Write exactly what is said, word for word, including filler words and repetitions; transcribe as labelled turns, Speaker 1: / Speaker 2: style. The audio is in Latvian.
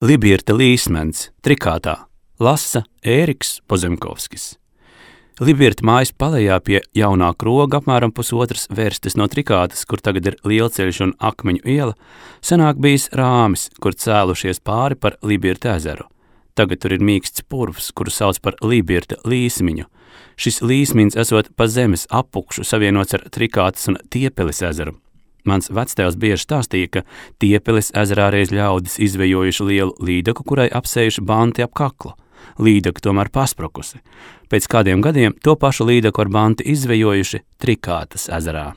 Speaker 1: Libirta līsmens, Trikātā, lasa Ēriks Pozemkovskis. Libirta mājas palejā pie jaunā kroga apmēram pusotras vērstes no Trikātas, kur tagad ir Lielceļš un Akmeņu iela, senāk bijis rāmis, kur cēlušies pāri par Libirta ezeru. Tagad tur ir mīksts purvs, kuru sauc par Libirta līsmiņu. Šis līsmins esot pa zemes apukšu savienots ar Trikātas un Tiepeles ezeru. Mans vectēvs bieži stāstīja, ka Tiepeles ezerā reiz ļaudis izvejojuši lielu līdaku, kurai apsējuši banti ap kaklu. Līdaka tomēr pasprukusi. Pēc kādiem gadiem to pašu līdaku ar banti izvejojuši Trikātas ezerā.